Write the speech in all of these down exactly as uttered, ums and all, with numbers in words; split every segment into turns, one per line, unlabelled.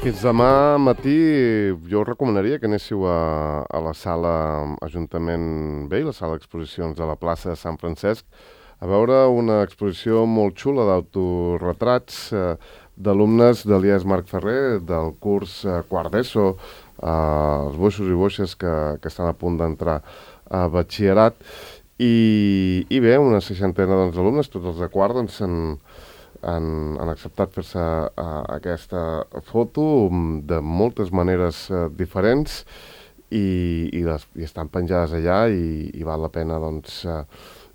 Fins demà matí jo us recomanaria que anéssiu a, a la sala Ajuntament Vell, la sala d'exposicions de la plaça de Sant Francesc, a veure una exposició molt xula d'autoretrats eh, d'alumnes de l'I E S Marc Ferrer, del curs eh, quart d'ESO, eh, els boixos i boixes que, que estan a punt d'entrar a batxillerat. I, i bé, una seixantena doncs, d'alumnes, tots els de quart, doncs, han, han, han acceptat fer-se uh, aquesta foto de moltes maneres uh, diferents i, i, les, i estan penjades allà i, i val la pena doncs, uh,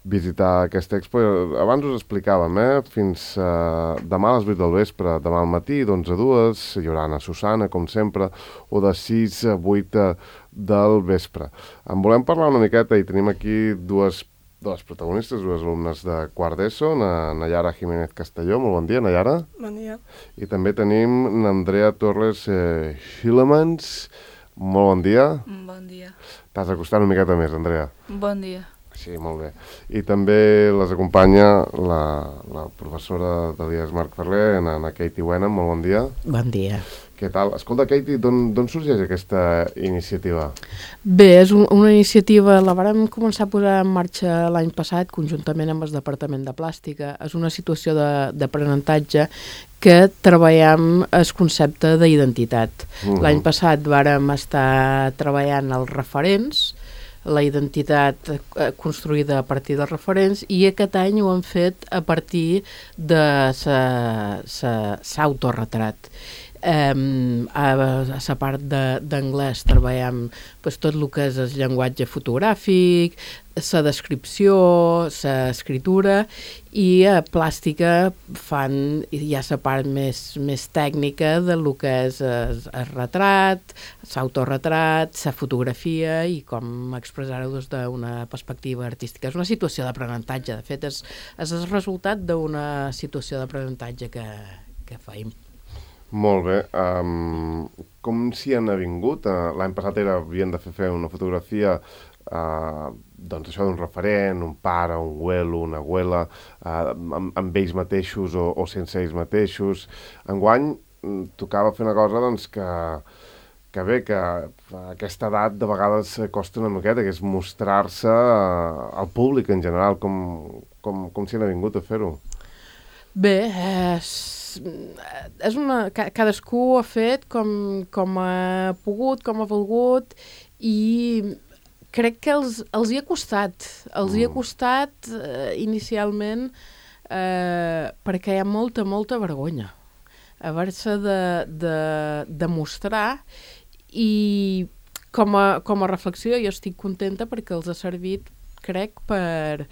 visitar aquesta expo. Abans us explicàvem, eh? Fins uh, demà a les vuit del vespre, demà al matí, d'onze a dues, hi haurà Anna Susana, com sempre, o de sis a vuit del vespre. En volem parlar una miqueta i tenim aquí dues, dues protagonistes, dues alumnes de quart d'ESO, na Nayara Jiménez Castelló. Molt bon dia, Nayara.
Bon dia.
I també tenim n'Andrea Torres eh, Schilemans. Molt bon dia.
Bon dia.
T'has acostat una miqueta més, Andrea.
Bon dia.
Sí, molt bé. I també les acompanya la, la professora de l'I E S Marc Ferrer, na, na Katie Wenham. Molt bon dia.
Bon dia.
Què tal? Escolta, Katie, d'on sorgeix aquesta iniciativa?
Bé, és un, una iniciativa, la vàrem començar a posar en marxa l'any passat, conjuntament amb el Departament de Plàstica. És una situació d'aprenentatge que treballem el concepte d'identitat. Uh-huh. L'any passat vàrem estar treballant els referents, la identitat eh, construïda a partir dels referents, i aquest any ho hem fet a partir de l'autoretrat. Um, a, a la part d'anglès treballem pues, tot el que és el llenguatge fotogràfic, la descripció, l'escriptura, i a plàstica fan ja la part més, més tècnica del que és el, el retrat, l'autoretrat, la fotografia i com expressar-ho des d'una perspectiva artística. És una situació d'aprenentatge, de fet és, és el resultat d'una situació d'aprenentatge que, que feim.
Molt bé. Um, com s'hi han avingut? Uh, L'any passat era, havien de fer, fer una fotografia uh, doncs això d'un referent, un pare, un abuelo, una abuela, uh, amb, amb ells mateixos o, o sense ells mateixos. Enguany tocava fer una cosa doncs, que, que bé, que a aquesta edat de vegades costa una miqueta, que és mostrar-se uh, al públic en general. Com, com, com s'hi han avingut a fer-ho?
Bé, és... és una, cadascú ha fet com, com ha pogut, com ha volgut, i crec que els, els hi ha costat. Els mm. hi ha costat eh, inicialment eh, perquè hi ha molta, molta vergonya. Haver-se de, de, de mostrar, i com a, com a reflexió jo estic contenta perquè els ha servit, crec, per,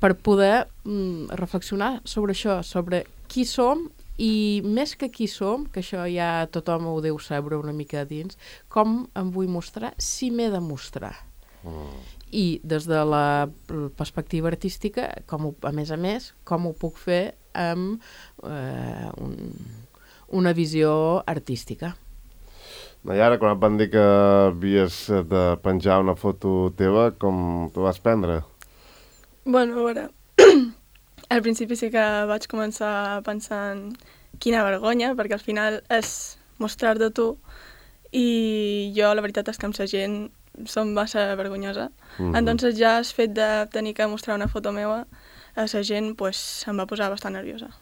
per poder mm, reflexionar sobre això, sobre qui som, i més que qui som, que això ja tothom ho deu saber una mica dins, com em vull mostrar, si m'he de mostrar. Mm. I des de la perspectiva artística, com ho, a més a més, com ho puc fer amb eh, un, una visió artística.
Nayara, quan et van dir que havies de penjar una foto teva, com t'ho vas prendre?
Bueno, a veure... Al principi sí que vaig començar pensant quina vergonya, perquè al final és mostrar-te tu, i jo la veritat és que amb la gent som massa vergonyosa. Mm-hmm. Entonces ja el fet de tenir que mostrar una foto meva a la gent pues, em va posar bastant nerviosa.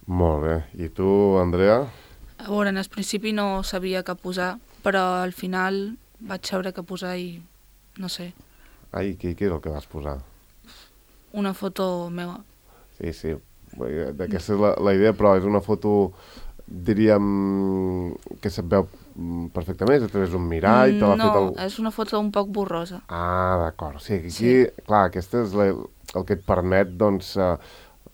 Molt bé. I tu, Andrea?
A veure, en el principi no sabia què posar, però al final vaig saber què posar i no sé.
Ai, què, què és el que vas posar?
Una foto meva.
Sí, sí, aquesta és la, la idea, però és una foto, diríem, que se't veu perfectament, a través d'un mirall, te l'ha
no,
fet el...
és una foto un poc borrosa.
Ah, d'acord, sí, aquí,
sí.
Clar, aquesta és la, el que et permet, doncs, uh,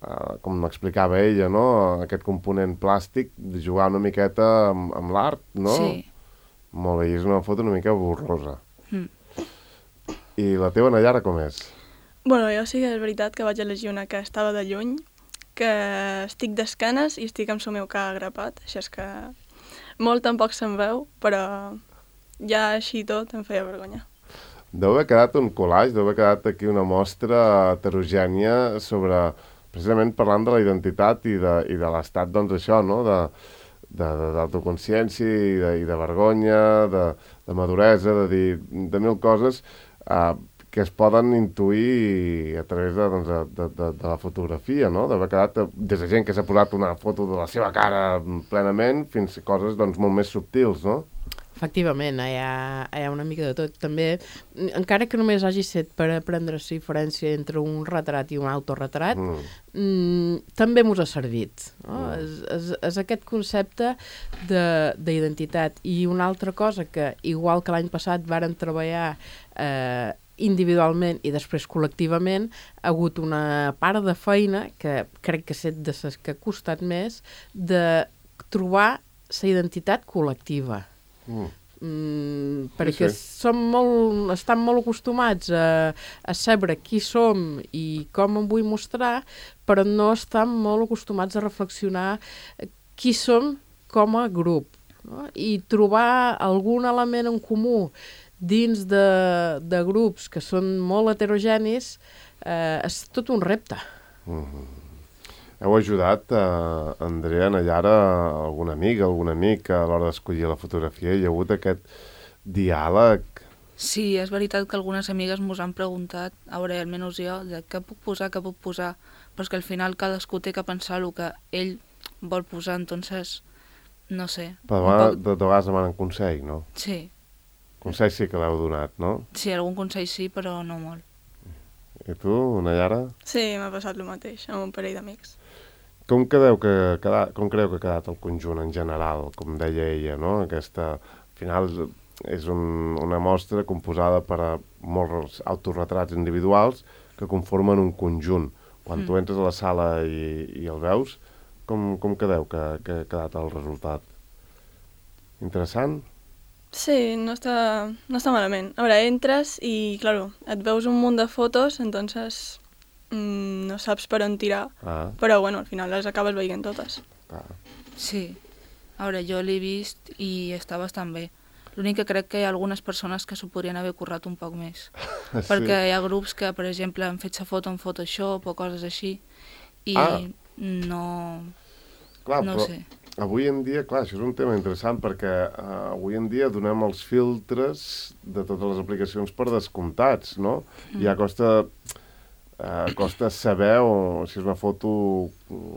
uh, com m'explicava ella, no?, aquest component plàstic, de jugar una miqueta amb, amb l'art, no?
Sí.
Molt bé, i és una foto una mica borrosa.
Mm.
I la teva, Nayara, com és?
Bueno, jo sí que és veritat que vaig elegir una que estava de lluny, que estic d'esquenes i estic amb el meu ca agrapat, així és que molt tampoc se'n veu, però ja així tot em feia vergonya.
Deu haver quedat un collage, deu haver quedat aquí una mostra heterogènia sobre, precisament parlant de la identitat i de, i de l'estat, doncs això, no?, de, d'autoconsciència i, de, i de vergonya, de, de maduresa, de dir de mil coses uh, que es poden intuir a través de, doncs, de, de, de, de la fotografia, no? D'haver quedat des de gent que s'ha posat una foto de la seva cara plenament fins a coses doncs, molt més subtils, no?
Efectivament, hi ha, hi ha una mica de tot. També, encara que només hagi set per aprendre la diferència entre un retrat i un autorretrat, mm. Mm, també mos ha servit. No? Mm. És, és, és aquest concepte d'identitat. I una altra cosa que, igual que l'any passat varen treballar eh, individualment i després col·lectivament, ha hagut una part de feina, que crec que set de les que ha costat més, de trobar la identitat col·lectiva. Mm. Mm, perquè sí, sí. Som molt, estan molt acostumats a, a saber qui som i com em vull mostrar, però no estan molt acostumats a reflexionar qui som com a grup, no? I trobar algun element en comú dins de, de grups que són molt heterogenis eh, és tot un repte.
Mm-hmm. Heu ajudat, eh, Andrea, Nayara, algun amic, algun amic a l'hora d'escollir la fotografia? Hi ha hagut aquest diàleg?
Sí, és veritat que algunes amigues mos han preguntat, a veure, almenys jo, de què puc posar, què puc posar, però és que al final cadascú té que pensar el que ell vol posar, entonces, no sé.
Però poc... de, de vegades demanen consell, no?
Sí.
Consell sí que l'heu donat, no?
Sí, algun consell sí, però no molt.
I tu, Nayara?
Sí, m'ha passat el mateix, amb un parell d'amics.
Com, credeu que, com creu que ha quedat el conjunt en general, com deia ella, no? Aquesta, al final, és un, una mostra composada per a molts autorretrats individuals que conformen un conjunt. Quan mm. tu entres a la sala i, i el veus, com, com credeu que, que ha quedat el resultat? Interessant?
Sí, no està, no està malament. A veure, entres i, claro, et veus un munt de fotos, entonces mm, no saps per on tirar, ah. però, bueno, al final les acabes veient totes.
Ah.
Sí. A veure, jo l'he vist i està bastant bé. L'únic que crec que hi ha algunes persones que s'ho podrien haver currat un poc més. Sí. Perquè hi ha grups que, per exemple, han fet sa foto en Photoshop o coses així i ah. no...
Clar,
no
però...
sé.
Avui en dia, clar, això és un tema interessant perquè uh, avui en dia donem els filtres de totes les aplicacions per descomptats, no? Mm. Ja costa, uh, costa saber o, si és una foto...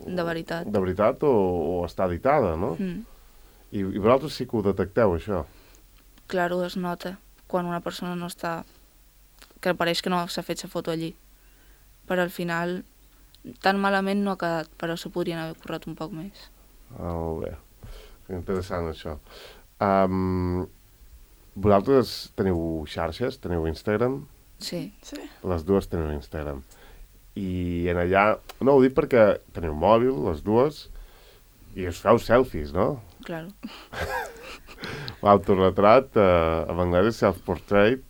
De veritat.
De veritat o, o està editada, no? Mm. I, I vosaltres sí que ho detecteu, això?
Claro, es nota quan una persona no està... que pareix que no s'ha fet sa foto allí. Però al final, tan malament no ha quedat, però s'ho podrien haver currat un poc més.
Ah, molt bé. Interessant, això. Um, vosaltres teniu xarxes? Teniu Instagram?
Sí.
sí.
Les dues teniu Instagram. I en allà... No, ho dic perquè teniu mòbil, les dues, i us feu selfies, no?
Claro.
L'autoretrat, eh, en anglès és self-portrait,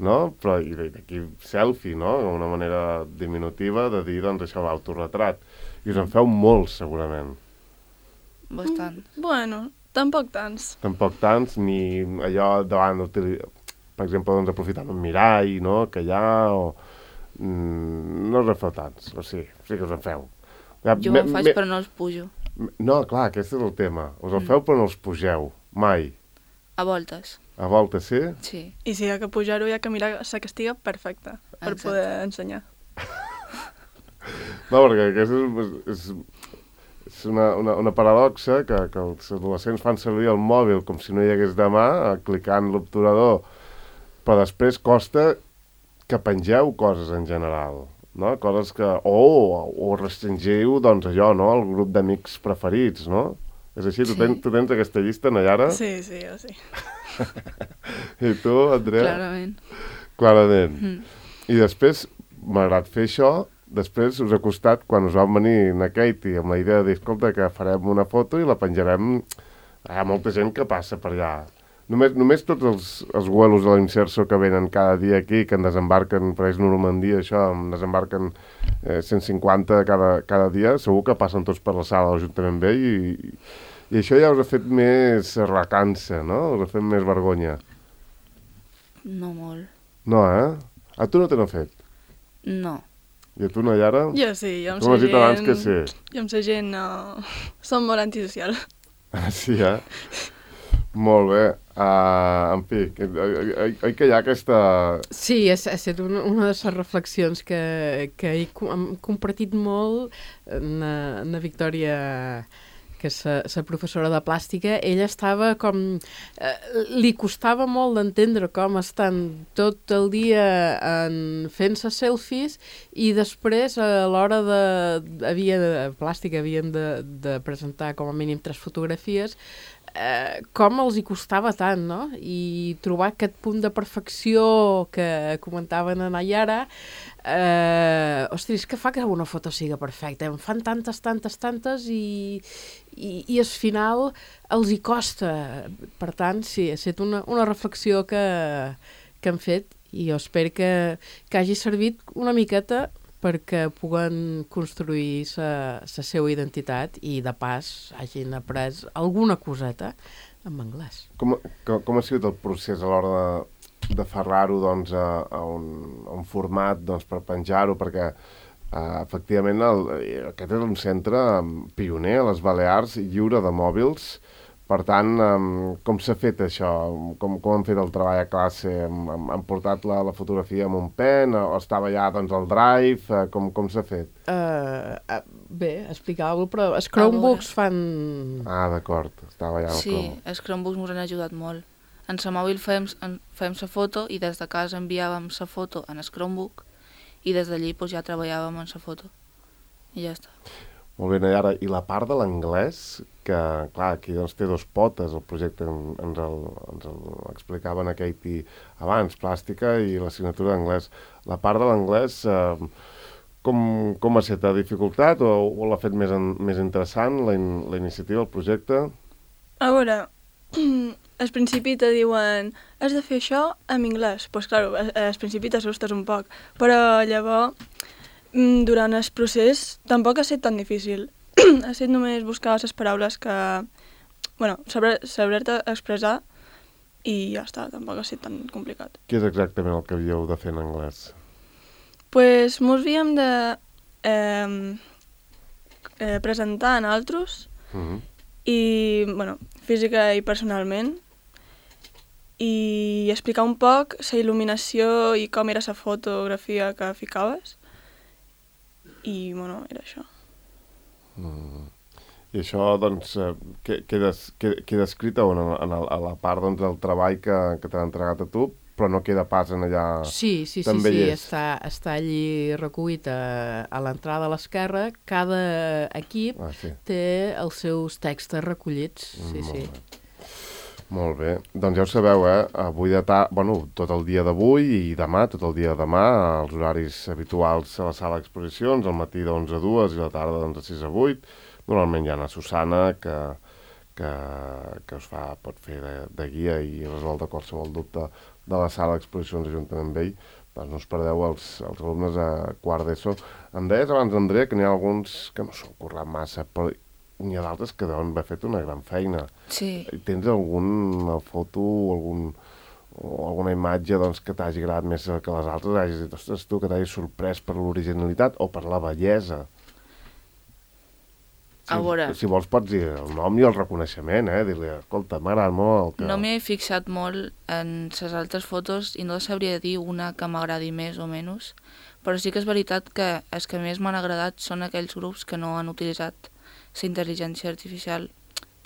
no? Però i d'aquí selfie, no? Una manera diminutiva de dir, doncs, això, l'autoretrat. I us en feu molts, segurament.
Bastant.
Mm, bueno, tampoc tants.
Tampoc tants, ni allò davant, per exemple, doncs aprofitant un mirall, no?, que hi ha, o... Mm, no us en feu tants, o sí, sí que us en feu.
Ja, jo me, ho faig me... però no els pujo.
No, clar, aquest és el tema. Us el mm. feu però no els pugeu, mai.
A voltes.
A voltes, sí?
Sí.
I si hi ha que pujar-ho, hi ha que mirar la que estigui perfecta per Exacte. Poder ensenyar.
No, perquè aquest és... és... És una, una, una paradoxa que, que els adolescents fan servir el mòbil com si no hi hagués demà, clicant l'obturador, però després costa que pengeu coses en general, no? Coses que... O, o restringiu, doncs, allò, no?, el grup d'amics preferits, no? És així? Sí. Tu, tens, tu tens aquesta llista, Nayara?
Sí, sí, jo sí.
I tu, Andrea?
Clarament.
Clarament. Mm. I després, malgrat fer això, després us ha costat, quan us vam venir a Katie amb la idea de dir, escolta, que farem una foto i la penjarem, hi ha molta gent que passa per allà. Només, només tots els, els vuelos de l'Inserso que venen cada dia aquí, que en desembarquen, per exemple, Normandia, això, en desembarquen eh, cent cinquanta cada, cada dia, segur que passen tots per la sala de l'Ajuntament Vell i, i això ja us ha fet més recança, no? Us ha fet més vergonya.
No molt.
No, eh? A tu no te n'ha fet?
No.
I a tu, Nayara?
Jo sí, jo amb
sa gent...
abans
que sí.
Jo amb sa gent no... Som molt antisocial.
Ah, sí, eh? Molt bé. Uh, en fi, que, oi, oi que hi ha aquesta...
Sí, ha, ha estat una, una de les reflexions que, que he com, compartit molt en, en la Victòria, que és la professora de plàstica. Ella estava com... Eh, li costava molt d'entendre com estan tot el dia en, fent-se selfies i després a l'hora de... havia de plàstica havien de, de presentar com a mínim tres fotografies. Eh, com els hi costava tant, no? I trobar aquest punt de perfecció que comentaven en Ayara, eh, ostres, que fa que una foto siga perfecta. En fan tantes, tantes, tantes i, i, i al final els hi costa. Per tant, sí, ha estat una, una reflexió que, que han fet i jo espero que, que hagi servit una miqueta perquè puguen construir la seva identitat i, de pas, hagin après alguna coseta en anglès.
Com, com, com ha sigut el procés a l'hora de, de ferrar-ho doncs, a, a, un, a un format doncs, per penjar-ho? Perquè, uh, efectivament, el, aquest és un centre pioner a les Balears, lliure de mòbils. Per tant, um, com s'ha fet això? Com, com han fet el treball a classe? Han, han portat la, la fotografia amb un pen? O estava ja doncs, el drive? Uh, com com s'ha fet?
Uh, uh, bé, explicava-ho, però els Chromebooks fan...
Ah, d'acord. Estava ja el
sí,
Chrome.
els Chromebooks ens han ajudat molt. En la mòbil fèiem, fèiem la foto i des de casa enviàvem la foto en el Chromebook i des d'allí doncs, ja treballàvem en la foto. I ja està.
Molt bé, Nayara. I la part de l'anglès, que, clar, aquí doncs, té dos potes, el projecte ens el, ens el explicaven a Katie abans, plàstica i l'assignatura d'anglès. La part de l'anglès, eh, com, com ha estat? Ha dificultat o, o l'ha fet més, en, més interessant, la, in, la iniciativa, el projecte?
A veure, al principi te diuen has de fer això en anglès. Doncs, pues, clar, al principi t'assustes un poc, però llavors, durant el procés, tampoc ha estat tan difícil. Ha estat només buscar les paraules que... bueno, saber-te expressar i ja està, tampoc ha estat tan complicat.
Què és exactament el que havíeu de fer en anglès?
Pues mos havíem de eh, eh, presentar en altres
Uh-huh.
i, bueno, física i personalment, i explicar un poc la il·luminació i com era la fotografia que ficaves. I, bueno, era això.
Mm. I això, doncs, eh, queda, queda, queda escrit en, en el, a la part doncs, del treball que, que t'han entregat a tu, però no queda pas en allà...
Sí, sí, sí,
també
sí,
hi és.
està, està allí recollit a, a l'entrada a l'esquerra. Cada equip
Ah, sí.
té els seus textos recollits, sí,
Mm,
sí.
molt bé. Molt bé. Doncs ja ho sabeu, eh? Avui de ta... bueno, tot el dia d'avui i demà, tot el dia de demà, els horaris habituals a la sala d'exposicions, al matí d'onze a dues i a la tarda d'onze a sis a vuit. Normalment hi ha una Susana que, que, que us fa, pot fer de, de guia i resoldre qualsevol dubte de la sala d'exposicions juntament amb ell. Doncs no us perdeu els, els alumnes a quart d'ESO. Em deies abans, Andrea, que n'hi ha alguns que no s'han currat massa, però n'hi ha d'altres que deuen haver fet una gran feina.
Sí.
Tens alguna foto o, algun, o alguna imatge doncs, que t'hagi agradat més que les altres? Hagis dit, ostres, tu, que t'hagis sorprès per l'originalitat o per la bellesa? Si,
A veure.
si vols pots dir el nom i el reconeixement, eh? Dir-li, escolta, m'agrada molt el que...
No m'he fixat molt en les altres fotos i no sabria dir una que m'agradi més o menys, però sí que és veritat que els que més m'han agradat són aquells grups que no han utilitzat la intel·ligència artificial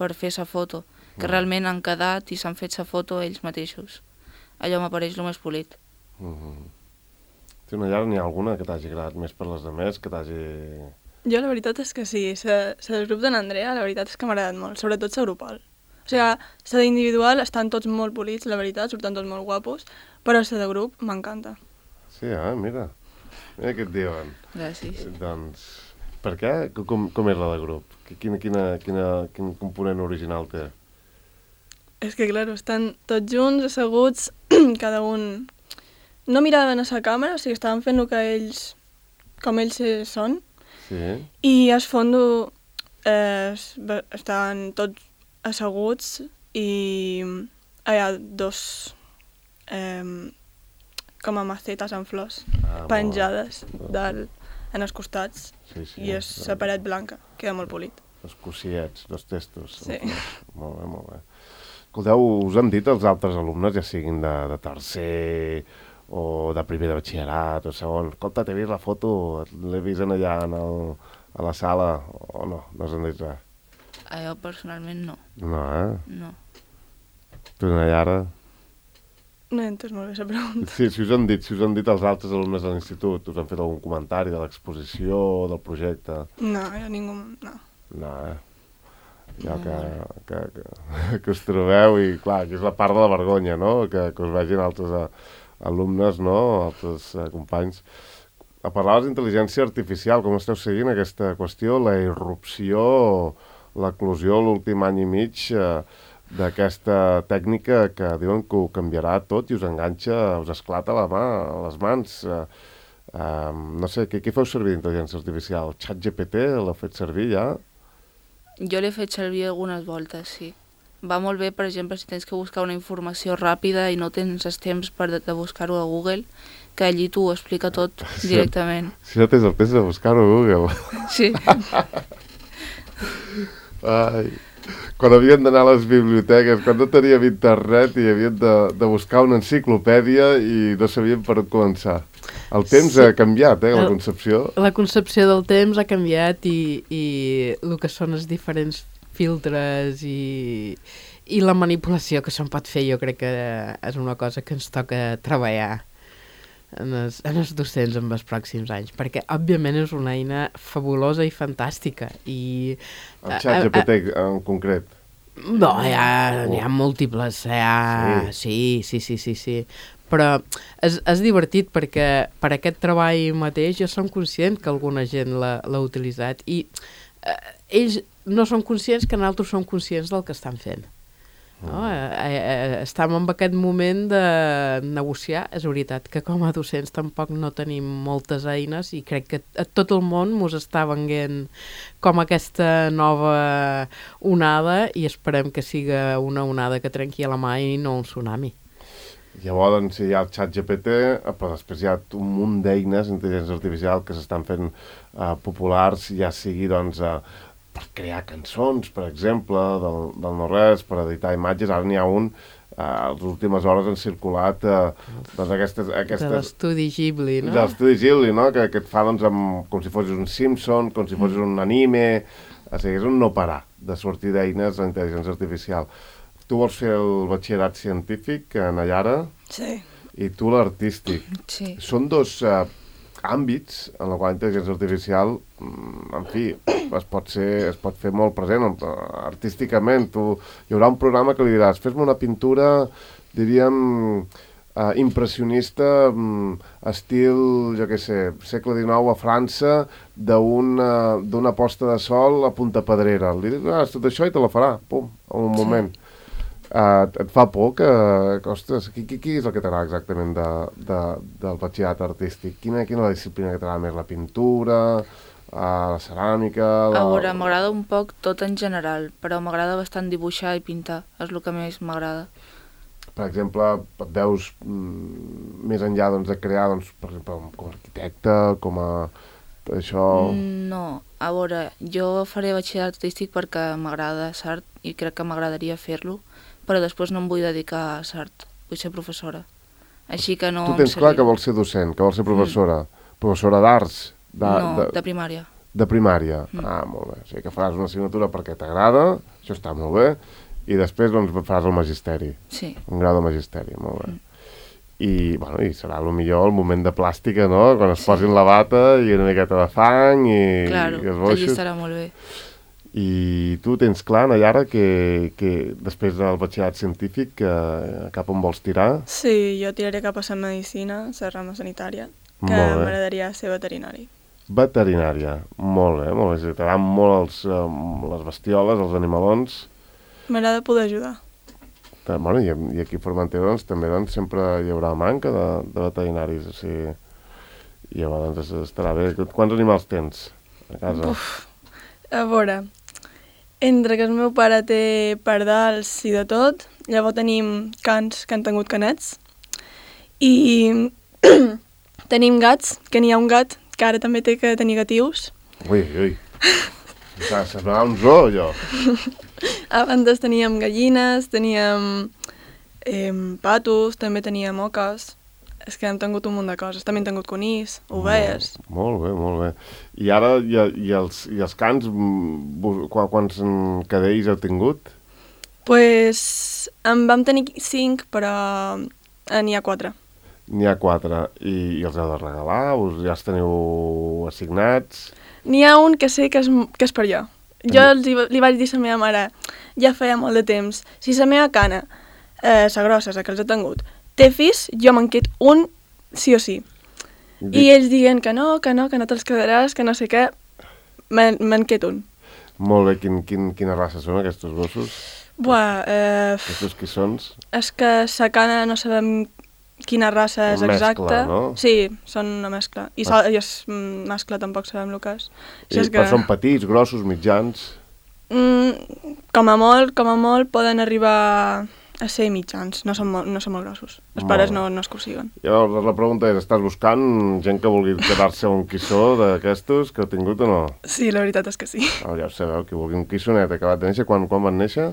per fer la foto, que mm. realment han quedat i s'han fet la foto ells mateixos. Allò m'apareix el més polit.
Mm-hmm. Sí, una llar, n'hi ha alguna que t'hagi agradat més per les demés, que t'hagi...
Jo la veritat és que sí, el grup d'en Andrea la veritat és que m'ha agradat molt, sobretot la grupal. O sigui, la d'individual estan tots molt polits, la veritat, surten tots molt guapos, però la de grup m'encanta.
Sí, eh? Mira. Mira què et diuen.
Gràcies.
Doncs... Per què? Com, com és la de grup? Quina, quina, quina, quin component original té?
És que, clar, estan tots junts, asseguts, cada un... No miraven a la càmera, o sigui, estaven fent el que ells... com ells són.
Sí.
I al fons eh, estaven tots asseguts i hi ha dos eh, com a macetes amb flors
Ah,
penjades dalt, en els costats,
sí, sí,
i és la paret blanca, queda molt polit.
dos cossiets, dos testos.
Sí.
Molt bé, molt bé. Escolteu, us han dit els altres alumnes, ja siguin de, de tercer o de primer de batxillerat o segon, escolta, t'he vist la foto, l'he vist en allà en el, a la sala, o no, no us han dit res?
A jo personalment no.
No, eh?
No.
Tu, Nayara?
No he entès molt bé la pregunta.
Sí, si us han dit, si us han dit els altres alumnes de l'institut, us han fet algun comentari de l'exposició, del projecte?
No, jo ningú... no.
No, eh? Ja que, que, que, que us trobeu i, clar, que és la part de la vergonya, no? Que, que us vegin altres a, alumnes, no? Altres eh, companys. A parlaves d'intel·ligència artificial, com esteu seguint aquesta qüestió, la irrupció, l'eclosió l'últim any i mig eh, d'aquesta tècnica que diuen que ho canviarà tot i us enganxa, us esclata la mà, les mans. Eh, eh, no sé, què, què feu servir d'intel·ligència artificial? ChatGPT l'heu fet servir ja?
Jo l'he fet servir algunes voltes, sí. Va molt bé, per exemple, si tens que buscar una informació ràpida i no tens els temps per de, de buscar-ho a Google, que allí t'ho explica tot
si,
directament.
Si no tens el temps de buscar-ho a Google.
Sí.
Ai, quan havien d'anar a les biblioteques, quan no teníem internet i havien de, de buscar una enciclopèdia i no sabíem per on començar. El temps sí. ha canviat, eh, la concepció.
La concepció del temps ha canviat i, i el que són els diferents filtres i, i la manipulació que se'n pot fer, jo crec que és una cosa que ens toca treballar en els, en els docents en els pròxims anys, perquè òbviament és una eina fabulosa i fantàstica. I,
el ChatGPT en concret.
No, hi ha, hi ha múltiples, hi ha... Sí, sí, sí, sí, sí. Però és, és divertit perquè per aquest treball mateix jo som conscient que alguna gent l'ha utilitzat i eh, ells no són conscients que nosaltres som conscients del que estan fent. No? Eh, eh, estem en aquest moment de negociar. És veritat que com a docents tampoc no tenim moltes eines i crec que a tot el món mos està venguent com aquesta nova onada i esperem que siga una onada que trenqui a la mà i no un tsunami.
Llavors, doncs, hi ha el ChatGPT, però després hi ha un munt d'eines d'intel·ligència artificial que s'estan fent uh, populars, ja sigui, doncs, uh, per crear cançons, per exemple, del, del no-res, per editar imatges. Ara n'hi ha un, uh, a les últimes hores han circulat uh, doncs, aquestes... aquestes
de l'estudi Ghibli, no?
De l'estudi Ghibli, no? Que, que et fa, doncs, amb, com si fossis un Simpson, com si fossis un anime... O sigui, és un no parar de sortir d'eines d'intel·ligència artificial. Tu vols fer el batxillerat científic, Nayara?
Sí.
I tu l'artístic.
Sí.
Són dos uh, àmbits en la qual la intel·ligència artificial, en fi, es pot, ser, es pot fer molt present artísticament. Tu, hi haurà un programa que li diràs, fes-me una pintura, diríem, uh, impressionista, um, estil, jo què sé, segle dinou a França, d'una posta de sol a Punta Pedrera. Li diràs tot això i te la farà, pum, en un moment. Sí. Uh, et fa por que, que ostres, qui, qui, qui és el que t'agrada exactament de, de, del batxillerat artístic? Quina, quina és la disciplina que t'agrada més? La pintura, uh, la ceràmica... La...
A veure, m'agrada un poc tot en general, però m'agrada bastant dibuixar i pintar, és el que més m'agrada.
Per exemple, et veus mm, més enllà doncs, de crear, doncs, per exemple, com a arquitecte, com a... això...
No, a veure, jo faré batxillerat artístic perquè m'agrada l'art i crec que m'agradaria fer-lo, però després no em vull dedicar a l'art, vull ser professora. Així que no...
Tu tens clar que vols ser docent, que vols ser professora. Mm. Professora d'arts?
No, de, de primària.
De primària? Mm. Ah, molt bé. O sigui que faràs una assignatura perquè t'agrada, això està molt bé, i després doncs, faràs el magisteri.
Sí.
Un grau de magisteri, molt bé. Mm. I, bueno, i serà el millor el moment de plàstica, no? Quan es sí. posin la bata i una miqueta de fang i,
claro,
i els boixos.
Allí estarà molt bé.
I tu tens clar, Nayara, que, que després del batxillerat científic que, cap on vols tirar?
Sí, jo tiraré cap a la medicina, la rama sanitària, que m'agradaria ser veterinari.
Veterinària, molt bé, molt bé. T'agraden molt els, um, les bestioles, els animalons.
M'agrada poder ajudar.
Bueno, i, i aquí a Formentera doncs, també doncs, sempre hi haurà manca de, de veterinaris, o sigui, i llavors doncs, estarà bé. Quants animals tens a casa?
Uf, a veure, entre que el meu pare té pardals i de tot, llavors tenim cans que han tingut canets, i tenim gats, que n'hi ha un gat que ara també té que tenir gatius.
Ui, ui. Semblava un zoo, allò.
Abans teníem gallines, teníem eh, patos, també teníem oques. És que hem tingut un munt de coses. També hem tingut conills, ovelles.
Molt, molt bé, molt bé. I ara, i, i, els, i els cans, qu quants cadells heu tingut?
Pues en vam tenir cinc, però eh, n'hi ha quatre.
N'hi ha quatre. I, I els heu de regalar? Us ja els teniu assignats?
N'hi ha un que sé que és, que és per jo. Jo els, li vaig dir a la meva mare, ja feia molt de temps, si la meva cana, eh, la grossa, la que els he tingut, té fills, jo me'n quedo un sí o sí. Dic... I ells diguen que no, que no, que no te'ls quedaràs, que no sé què, me'n me quedo un.
Molt bé, quin, quin, quina raça són aquests gossos?
Buah, eh...
Aquests qui són? És
que la cana no sabem quina raça és
mescla,
exacta.
No?
Sí, són una mescla. I, ah. i el mascle tampoc sabem el que és.
I, és que... Però són petits, grossos, mitjans?
Mm, com a molt, com a molt poden arribar a ser mitjans, no són molt, no són molt grossos. Els pares no, no es consiguen.
Llavors, la pregunta és, estàs buscant gent que vulgui quedar-se un quissó d'aquestos que heu tingut o no?
Sí, la veritat és que sí.
Oh, ja ho sabeu, que vulgui un quissonet acabat de néixer, quan, quan van néixer?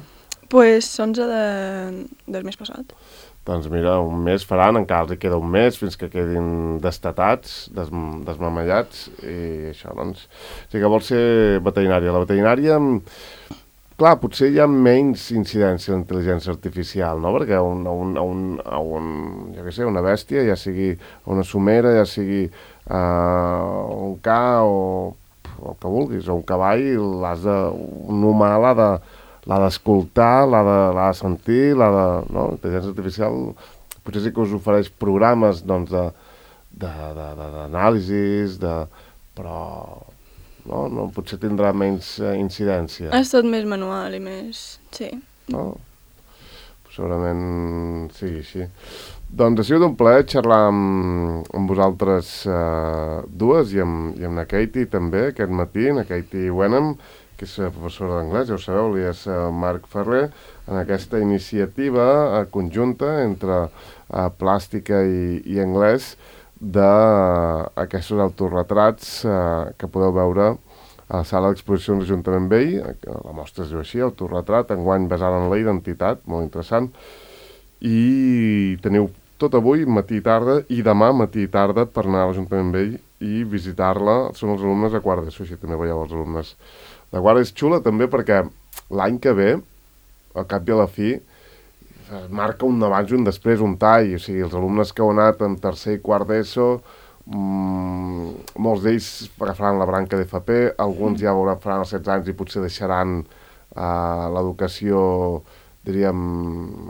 Pues onze de, del mes passat.
Doncs mira, un mes faran, encara els hi queda un mes fins que quedin destatats, des, desmamellats, i això, doncs... O sigui que vol ser veterinària. La veterinària... Clar, potser hi ha menys incidència d'intel·ligència artificial, no? Perquè a un, a un, a un, a un, ja què sé, una bèstia, ja sigui una somera, ja sigui uh, un ca o, o el que vulguis, o un cavall, l'has de, un humà l'ha de, l'ha d'escoltar, l'ha de, l'ha de sentir, l'ha de... No? L'intel·ligència artificial potser sí que us ofereix programes, doncs, de, de, de, de, d'anàlisis, de... però... No? No, potser tindrà menys eh, incidència.
És tot més manual i més... sí.
No? Segurament sigui així. Doncs ha sigut un plaer xerrar amb, amb vosaltres eh, dues i amb, i amb la Katie també aquest matí, la Katie Wenham, que és professora d'anglès, ja ho sabeu, li és eh, Marc Ferrer, en aquesta iniciativa eh, conjunta entre eh, plàstica i, i anglès, d'aquests autorretrats eh, que podeu veure a la sala d'exposicions de l'Ajuntament Vell. La mostra es diu així, autorretrat, enguany basada en la identitat, molt interessant. I teniu tot avui, matí i tarda, i demà matí i tarda per anar a l'Ajuntament Vell i visitar-la. Són els alumnes de quart d'ESO, així també veieu els alumnes de quart. És xula també perquè l'any que ve, al cap i a la fi, marca un abans i un després, un tall. O sigui, els alumnes que heu anat en tercer i quart d'ESO, mmm, molts d'ells agafaran la branca d'F P, alguns ja veuran, faran els setze anys i potser deixaran eh, l'educació, diríem,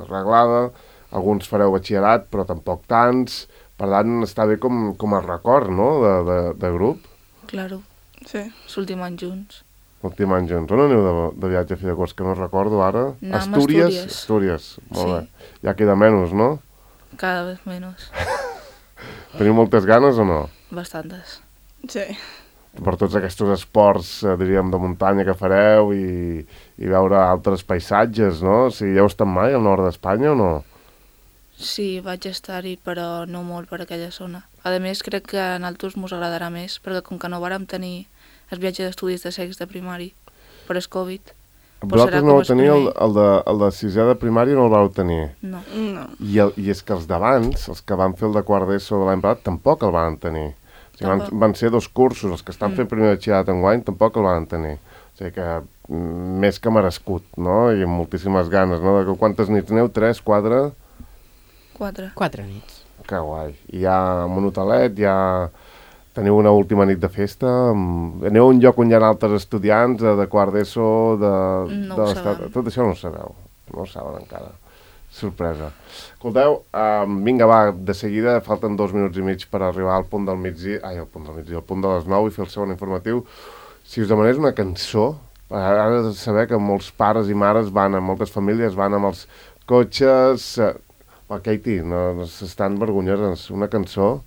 reglada. Alguns fareu batxillerat, però tampoc tants. Per tant, està bé com, com a record, no?, de, de, de grup.
Claro.
Sí.
L'últim any junts.
L'últim any junts. On aneu de, de viatge a fi de curs, que no recordo ara?
No,
Astúries?
Astúries.
Astúries, molt
sí.
bé. Ja queda menys, no?
Cada vez menos.
Teniu moltes ganes o no?
Bastantes.
Sí.
Per tots aquests esports, eh, diríem, de muntanya que fareu i, i veure altres paisatges, no? O sigui, ja heu estat mai al nord d'Espanya o no?
Sí, vaig estar-hi, però no molt per aquella zona. A més, crec que a nosaltres mos agradarà més, perquè com que no vàrem tenir el viatge d'estudis de sex de primari per el Covid.
Vosaltres no vau tenir el, el, de, el de sisè de primària, no el vau tenir?
No.
no.
I, el, I és que els d'abans, els que van fer el de quart d'ESO de l'any passat, tampoc el van tenir. O sigui, van, van ser dos cursos, els que estan mm. fent primer batxillerat enguany tampoc el van tenir. O sigui que més que merescut, no? I amb moltíssimes ganes, no? De quantes nits aneu? Tres, quatre?
Quatre.
Quatre nits.
Que guai. I ja amb un hotelet, ja... Teniu una última nit de festa? Aneu a un lloc on hi ha altres estudiants de quart d'ESO, de,
no
de
ho
l'estat?
sabem.
Tot això no ho sabeu. No ho saben encara. Sorpresa. Escolteu, um, vinga, va, de seguida, falten dos minuts i mig per arribar al punt del migdia, ai, al punt del migdia, al punt de les nou i fer el segon informatiu. Si us demanés una cançó, ara de saber que molts pares i mares van, moltes famílies van amb els cotxes... Eh, oh, Katie, no, no s'estan vergonyoses. Una cançó...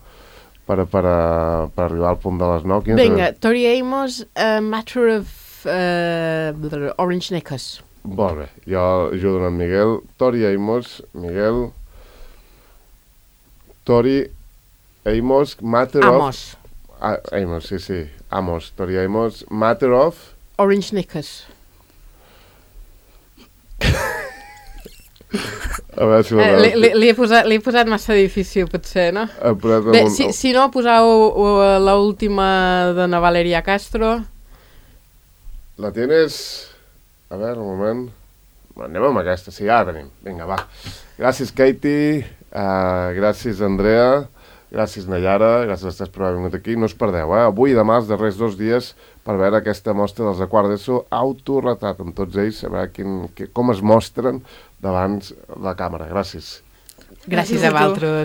Per, per, uh, per arribar al punt de les nou.
Vinga, Tori Amos, uh, Matter of uh, Orange Knickers.
Molt bé, jo ajudo en Miguel. Tori Amos, Miguel. Tori Amos, Matter
Amos.
of... Ah, Amos, sí, sí. Amos, Tori Amos, Matter of...
Orange Knickers.
A veure si
eh, li, li, li, he posat, li he posat massa difícil, potser, no? Bé, un... si, si no, posau uh, l'última de na Valeria Castro.
La tienes... A veure, un moment... Anem amb aquesta, sí, ja la tenim. Vinga, va. Gràcies, Katie. Uh, gràcies, Andrea. Gràcies, Nayara. Gràcies a tots per haver vingut aquí. No us perdeu, eh? Avui i demà, els darrers dos dies, per veure aquesta mostra dels de quart d'ESO autorretrat amb tots ells, a veure quin, que, com es mostren davant la càmera. Gràcies.
Gràcies a vosaltres.